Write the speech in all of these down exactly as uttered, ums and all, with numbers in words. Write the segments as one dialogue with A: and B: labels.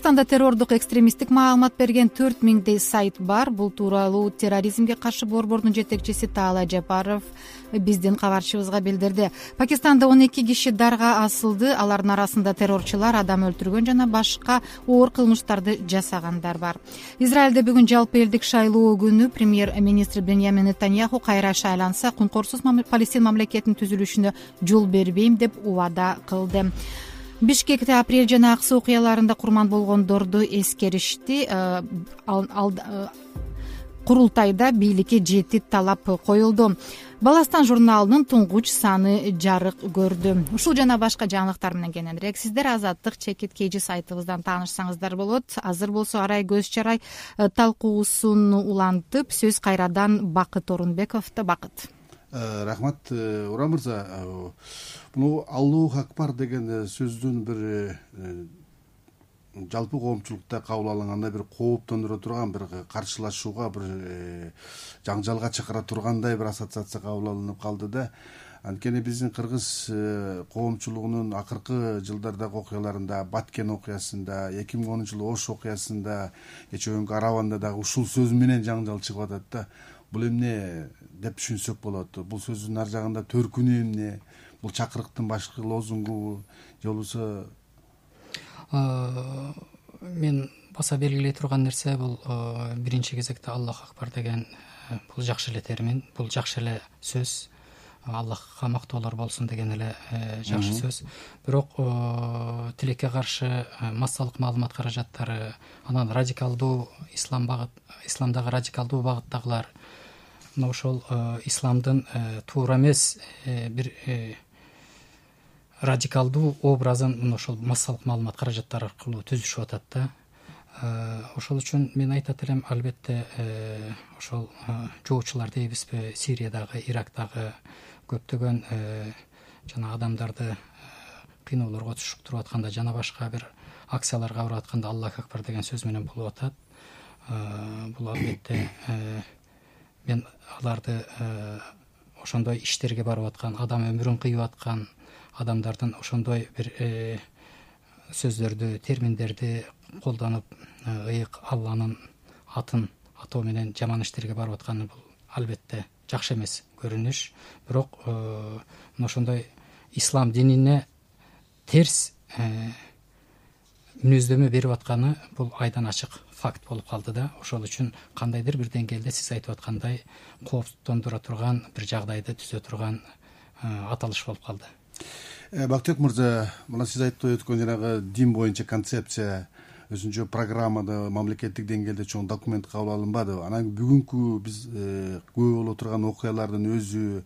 A: Кыргызстанда террордук экстремисттик маалымат берген төрт миңдей сайт бар. Бул тууралуу терроризмге каршы борбордун жетекчиси Таала Жапаров биздин кабарчыбызга билдирди. Пакистанда он эки киши дарга асылды. Алардын арасында террорчулар, адам өлтүргөн жана башка оор кылмыштарды жасагандар бар. Израилде бүгүн жалпы элдик шайлоо күнү премьер-министр Беньямин Нетаньяху кайра шайланса, кункорсуз Палестин мамлекетинин түзүлүшүнө жол бербейм деп убада кылды. Бишкекте апрель жана аксы окуяларында курман болгондорду эскеришти. Курултайда бийликке жети талап коюлду. Баластан журналынын туңгуч саны жарык көрдү. Ушул жана башка жаңылыктар менен кененирээк сиздер Азаттык чекит kg сайтыбыздан таанышсаңыздар болот. Азыр болсо Арай Көз Чарай талкуусун улантып, сөз кайрадан Бакыт Орунбековдо. Бакыт.
B: Рахмат, Ура мырза. Бул Аллах акбар деген сөздүн бир жалпы коомчулукта кабыл алынганда бир кооптондура турган, бир каршылашууга, бир жаңжалга чакыра тургандай бир ассоциация кабыл алынып калды да. Анткени биздин кыргыз коомчулугунун акыркы жылдардагы окуяларында, Баткен окуясында, эки миң онунчу жылы Ош окуясында, кечээ Араванда дагы ушул сөз менен жаңжал чыгып атат да. Бул эмне деп түшүнсөк болот? Бул сөздүн ар жагында төркүнү эмне? Бул чакырыктын башкы лозунгу же болбосо?
C: Мен баса белгилей турган нерсе бул биринчи кезекте Аллах акбар деген бул жакшы эле термин, бул жакшы эле сөз. Аллахка мактоолор болсун деген эле жакшы сөз. Бирок тилекке каршы массалык маалымат каражаттары, анан радикалдуу ислам багыт, исламдагы радикалдуу багыттагылар, мына ошол исламдын туура эмес бир радикалдуу образын мына ошол массалык маалымат каражаттары аркылуу түзүшүп атат да. Ошол үчүн мен айтат элем, албетте ошол жоочулар дейбизби, Сириядагы, Ирактагы көптөгөн жана адамдарды кыйноолорго түшүктүрүп атканда, жана башка бир акцияларга барып атканда Аллах акбар деген сөз менен болуп атат. Бул албетте мен аларды ошондой иштерге барып аткан, адам өмүрүн кыйып аткан адамдардын ошондой бир сөздөрдү, терминдерди колдонуп, ыйык Алланын атын атоо менен жаман иштерге барып атканы бул албетте жакшы эмес көрүнүш. Бирок мына ошондой ислам динине терс мүнөздөмө берип атканы бул айдан ачык факт болуп калды да. Ошол үчүн кандайдыр бир деңгээлде сиз айтып аткандай кооптондура турган бир жагдайды түзө турган аталыш болуп калды.
B: Бактыбек мырза, мына сиз айтып өткөн жанагы дин боюнча концепция өзүнчө программада мамлекеттик деңгээлде чоң документ кабыл алынбады. Анан бүгүнкү биз күбө боло турган окуялардын өзү,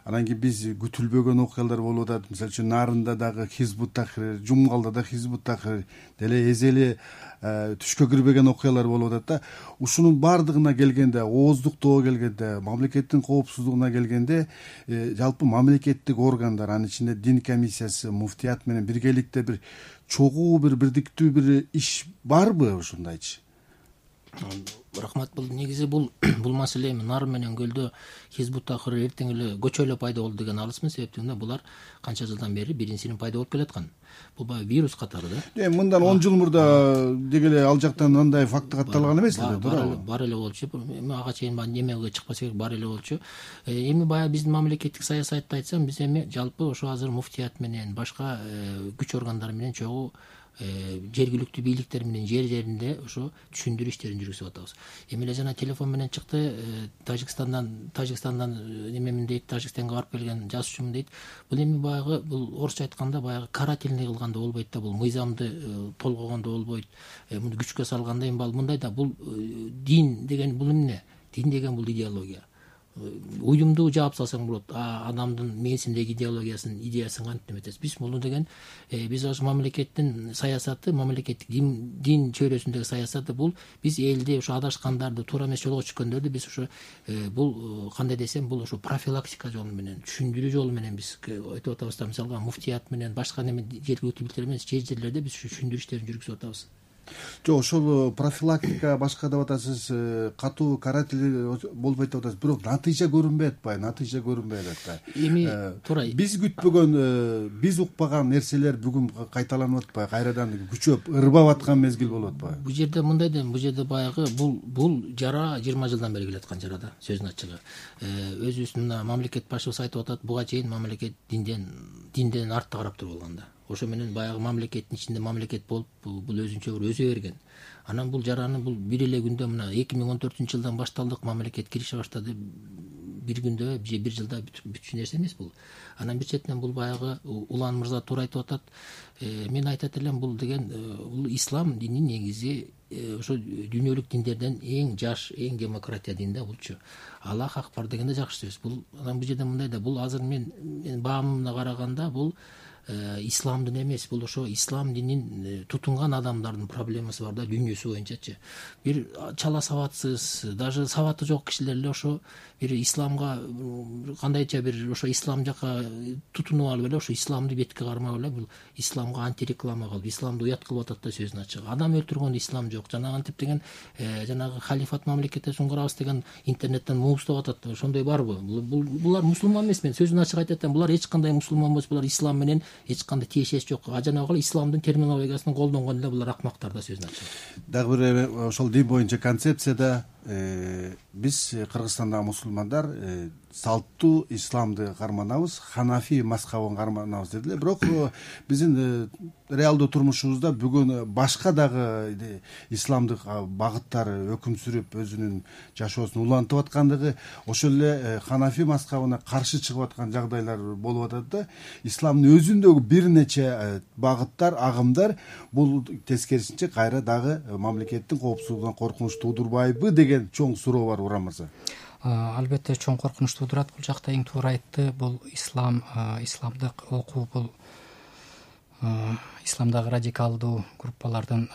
B: анан кийин биз күтүлбөгөн окуялар болуп атат. Мисалы үчүн Нарында дагы Хизбут Тахрир, Жумгалда да Хизбут Тахрир, деле эзели түшкө кирбеген окуялар болуп атат да. Ушунун баардыгына келгенде, ооздуктоого келгенде, мамлекеттин коопсуздугуна келгенде, жалпы мамлекеттик органдар, анын ичинде дин комиссиясы, муфтият менен биргеликте бир чогуу бир бирдиктүү бир иш барбы ушундайчы?
D: Рахмат. Бул негизи бул бул маселе Нар менен Көлдө Хизбут Тахрир эртең эле көчө эле пайда болду деген алысмын. Себептен булар канча жылдан бери биринсинин пайда болуп келаткан. Бул баягы вирус катары да.
B: Э, мындан он жыл мурда дегеле ал жактан андай факт катталган эмес эле, туурабы?
D: Бар эле болчу. Эми ага чейин немеге чыкпаса керек, бар эле болчу. Эми баягы биздин мамлекеттик саясатты айтсам, биз эми жалпы ошо азыр муфтият менен башка күч органдары менен чогуу жергиликтүү бийликтер менен жер жеринде ошо түшүндүрүү иштерин жүргүзүп атабыз. Эми эле жана телефон менен чыкты, Тажикстандан Тажикстандан немемин дейт, Тажикстанга барып келген жазуучумун дейт. Бул эми баягы бул орусча айтканда баягы карательный кылганда болбойт да, бул мыйзамды толгогондо болбойт. Муну күчкө салганда эми мындай да, бул дин деген бул эмне? Дин деген бул идеология. Уюмду жаап салсаң болот. Адамдын мээсиндеги идеологиясын, идеясын кантип эметесиз? Биз муну деген биз ошо мамлекеттин саясаты, мамлекеттик дин, дин чөйрөсүндөгү саясаты бул биз элди ошо адашкандарды, туура эмес жолго чыккөндөрдү биз ошо бул кандай десем, бул ошо профилактика жолу менен, түшүндүрүү жолу менен биз айтып атабыз да. Мисалга муфтият менен башка неме жергиликтүү бийликтер менен жер жерлерде биз ошо түшүндүрүү иштерин жүргүзүп атабыз.
B: жок, ошол профилактика башка деп атасыз, катуу каратель болбойт деп атасыз, бирок натыйжа көрүнбөй атпайбы, натыйжа көрүнбөй атпайбы.
D: Эми туура
B: биз күтпөгөн, биз укпаган нерселер бүгүн кайталанып атпайбы, кайрадан күчөп ырбап аткан мезгил болуп атпайбы?
D: Бул жерде мындай да, бул жерде баягы бул бул жара жыйырма жылдан бери келаткан жара да, сөзүнүн ачыгы. Өзүбүз мына мамлекет башчыбыз айтып атат, буга чейин мамлекет динден динден артта карап туруп алган да. Ошо менен баягы мамлекеттин ичинде мамлекет болуп, бул өзүнчө бир өзө берген. Анан бул жараны бул бир эле күндө мына эки миң он төртүнчү жылдан башталдык, мамлекет кирише баштады, бир күндө же бир жылда бүтчү нерсе эмес бул. Анан бир четинен бул баягы Улан мырза туура айтып атат. Мен айтат элем, бул деген бул ислам дини негизи ошо дүйнөлүк диндерден эң жаш, эң демократия дин да булчу. Аллах хак бар деген да жакшы сөз. Бул анан бул жерде мындай да, бул азыр мен мен баамына караганда бул исламдын эмес, бул ошо ислам динин тутунган адамдардын проблемасы бар да, дүйнөсү боюнчачы. Бир чала сабатсыз, даже сабаты жок кишилер эле ошо бир исламга кандайча бир ошо ислам жака тутунуп алып эле, ошо исламды бетке кармап эле бул исламга антиреклама кылып, исламды уят кылып атат да, сөзүнүн ачыгы. Адам өлтүргөндө ислам жок. Жанагы антип деген жанагы халифат мамлекетте суңгурабыз деген интернеттен муустап атат. Ошондой барбы? Булар мусулман эмес. Мен сөзүнүн ачыгы айтат элем, булар эч кандай мусулман эмес, булар ислам менен эч кандай тиешеси жок. А жанагы исламдын терминологиясын колдонгон эле булар акмактар да, сөзүнүн ачыгы.
B: Дагы бир ошол дин боюнча концепцияда биз Кыргызстандагы мусулмандар салттуу исламды карманабыз, ханафи мазхабын карманабыз дедиле. Бирок биздин реалдуу турмушубузда бүгүн башка дагы исламдык багыттар өкүм сүрүп өзүнүн жашоосун улантып аткандыгы, ошол эле ханафи мазхабына каршы чыгып аткан жагдайлар болуп атат да. Исламдын өзүндөгү бир нече багыттар, агымдар бул тескерисинче кайра дагы мамлекеттин коопсуздугуна коркунуч туудурбайбы деген чоң суроо бар, Уран мырза.
C: Албетте чоң коркунуч туудурат. Бул жакта эң туура айтты. Бул ислам, исламдык окуу, бул исламдагы радикалдуу группалардын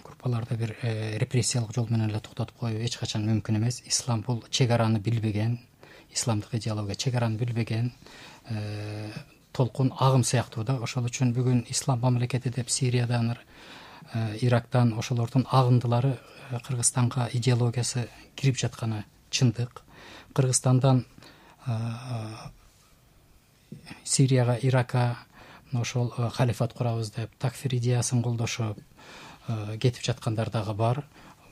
C: группаларды бир репрессиялык жол менен эле токтотуп коюу эч качан мүмкүн эмес. Ислам бул чек араны билбеген, исламдык идеология чек араны билбеген толкун агым сыяктуу да. Ошол үчүн бүгүн ислам мамлекети деп Сириядан, Ирактан ошолордун агындылары Кыргызстанга идеологиясы кирип жатканы чындык. Кыргызстандан Сирияга, Иракка ошол халифат курабыз деп такфир идеясын колдошуп кетип жаткандар дагы бар.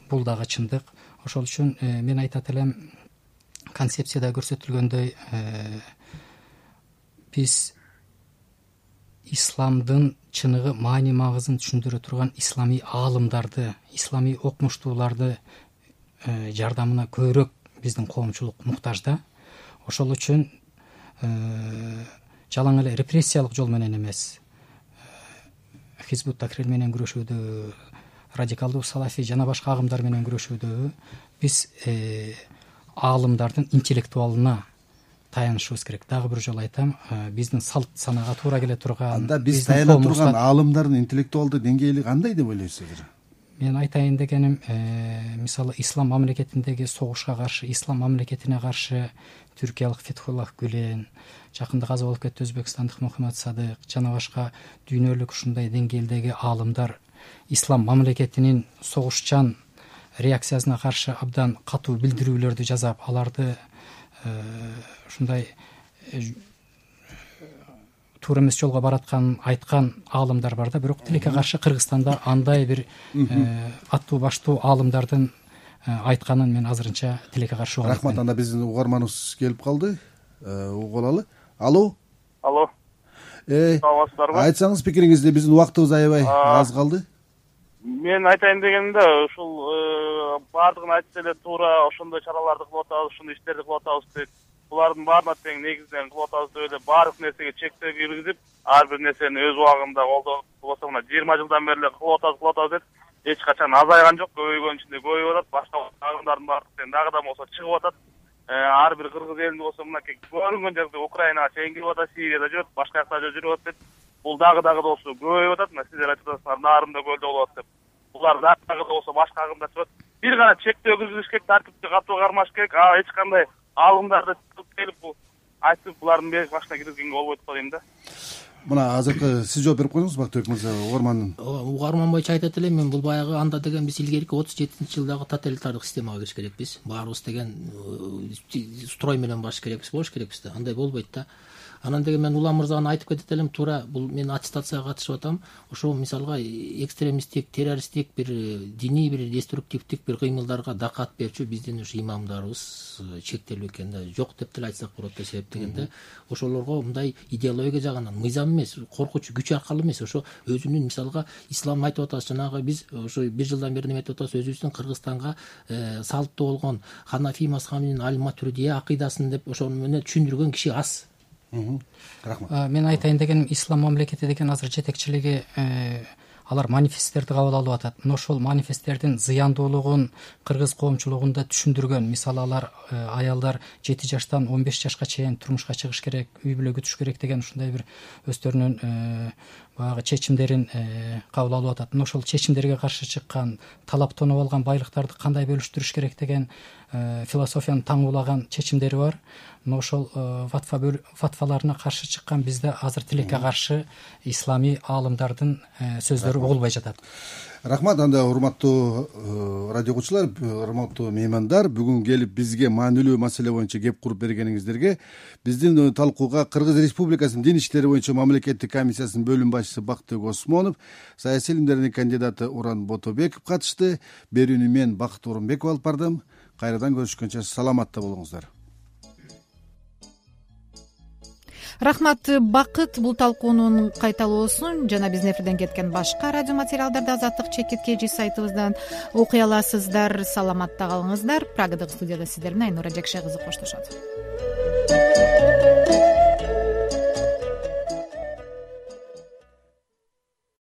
C: Бул дагы чындык. Ошол үчүн мен айтат элем, концепцияда көрсөтүлгөндөй биз исламдын чыныгы маани магызын түшүндүрө турган ислами аалымдарды, ислами окумуштууларды жардамына көбүрөөк биздин коомчулук муктаж да. Ошол үчүн жалаң эле репрессиялык жол менен эмес, Хизбут Тахрир менен күрөшүүдө, радикалдуу салафи жана башка агымдар менен күрөшүүдө биз аалымдардын интеллектуалына таянышыбыз керек. Дагы бир жолу айтам, биздин салт санага туура келе турган,
B: анда биз таяна турган аалымдардын интеллектуалдык деңгээли кандай деп ойлойсуздар?
C: Мен айтайын дегеним, мисалы ислам мамлекетиндеги согушка каршы, ислам мамлекетине каршы түркиялык Фетхуллах Гүлен, жакында каза болуп кетти өзбекстандык Мухаммад Садык жана башка дүйнөлүк ушундай деңгээлдеги аалымдар ислам мамлекетинин согушчан реакциясына каршы абдан катуу билдирүүлөрдү жазап, аларды ушундай туура эмес жолго баратканын айткан аалымдар бар да. Бирок тилекке каршы Кыргызстанда андай бир аттуу баштуу аалымдардын айтканын мен азырынча тилекке каршы угам.
B: Рахмат. Анда биздин угарманыбыз келип калды. Угуп алалы. Алло.
E: Алло.
B: Э,
E: саламатсыздарбы?
B: Айтсаңыз пикириңизди, биздин убактыбыз аябай аз калды.
E: Мен айтайын дегенде, ушул баардыгын айтса эле туура ошондой чараларды кылып атабыз, ушундай иштерди кылып атабыз деп, булардын баарына тең негизден кылып атабыз деп эле баардык нерсеге чектөө киргизип, ар бир нерсени өз убагында колдонуп, болбосо мына жыйырма жылдан бери эле кылып атабыз, кылып атабыз деп эч качан азайган жок, көбөйгөн ичинде көбөйүп атат. Башка агымдардын баардыгы тең дагы да болсо чыгып атат. Ар бир кыргыз элинде болсо мынакей көрүнгөн жерде Украинага чейин кирип атат, Сирияда жүрөт, башка жакта жүрүп атат деп, бул дагы дагы да болсо көбөйүп атат. Мына сиздер айтып атасыздар, Нарымда көлдө болуп атат деп. Булар дагы да болсо башка агымдар чыгат. Бир гана чектөө киргизиш керек, тартипти катуу кармаш керек. А эч кандай алымдарды келип бул айтып булардын беш башына киргизгенге болбойт го дейм да.
B: мына азыркы сиз жооп берип коюңуз Бактыбек мырза. Угармандын
D: угарман боюнча айтат элем мен, бул баягы анда деген биз илгерки отуз жетинчи жылдагы тоталитардык системага көчүш керекпиз. Баарыбыз деген строй менен баш керекпиз, болуш керекпиз да. Андай болбойт да. Анан деген мен Улам мырзага айтып кетет элем, туура бул мен аттестацияга катышып атам. Ошо мисалга экстремисттик, террористтик бир диний бир деструктивдик бир кыймылдарга дакат берчү биздин ушу имамдарыбыз чектелүү экен да. Жок деп деле айтсак болот да, себеп дегенде ошолорго мындай идеология жагынан мыйзам эмес, коркуч күч аркылуу эмес, ошо өзүнүн мисалга ислам айтып атабыз, жанагы биз ошо бир жылдан бери неме айтып атабыз, өзүбүздүн Кыргызстанга салттуу болгон Ханафи мазхабынын аль-Матуридия акыйдасын деп ошону менен түшүндүргөн киши аз.
B: Рахмат.
C: Мен айтайын дегеним, ислам мамлекети деген азыр жетекчилиги алар манифесттерди кабыл алып атат. Но ошол манифесттердин зыяндуулугун кыргыз коомчулугунда түшүндүргөн. Мисалы алар аялдар жети жаштан он беш жашка чейин турмушка чыгыш керек, үй бүлө күтүш керек деген ушундай бир өздөрүнүн баягы чечимдерин кабыл алып атат. Но ошол чечимдерге каршы чыккан, талаптанып алган байлыктарды кандай бөлүштүрүш керек деген философиянын таңуулаган чечимдери бар. Но ошол фатваларына каршы чыккан бизде азыр тилекке каршы исламий аалымдардын сөздөрү угулбай жатат.
B: Рахмат. Анда урматтуу радио угуучулар, урматтуу меймандар, бүгүн келип бизге маанилүү маселе боюнча кеп куруп бергениңиздерге биздин талкууга Кыргыз Республикасынын дин иштери боюнча мамлекеттик комиссиясынын бөлүм башчысы Бактыбек Осмонов, саясий илимдердин кандидаты Уран Ботобеков катышты. Берүүнү мен Бакыт Орунбеков алып бардым. Кайрадан көрүшкөнчө саламатта болуңуздар.
A: Рахмат Бакыт. Бул талкуунун кайталоосун жана биздин эфирден кеткен башка радио материалдарды Азаттык чекит kg сайтыбыздан окуй аласыздар. Саламатта калыңыздар. Прагадагы студияда сиздер менен Айнура Жакшай кызы коштошот.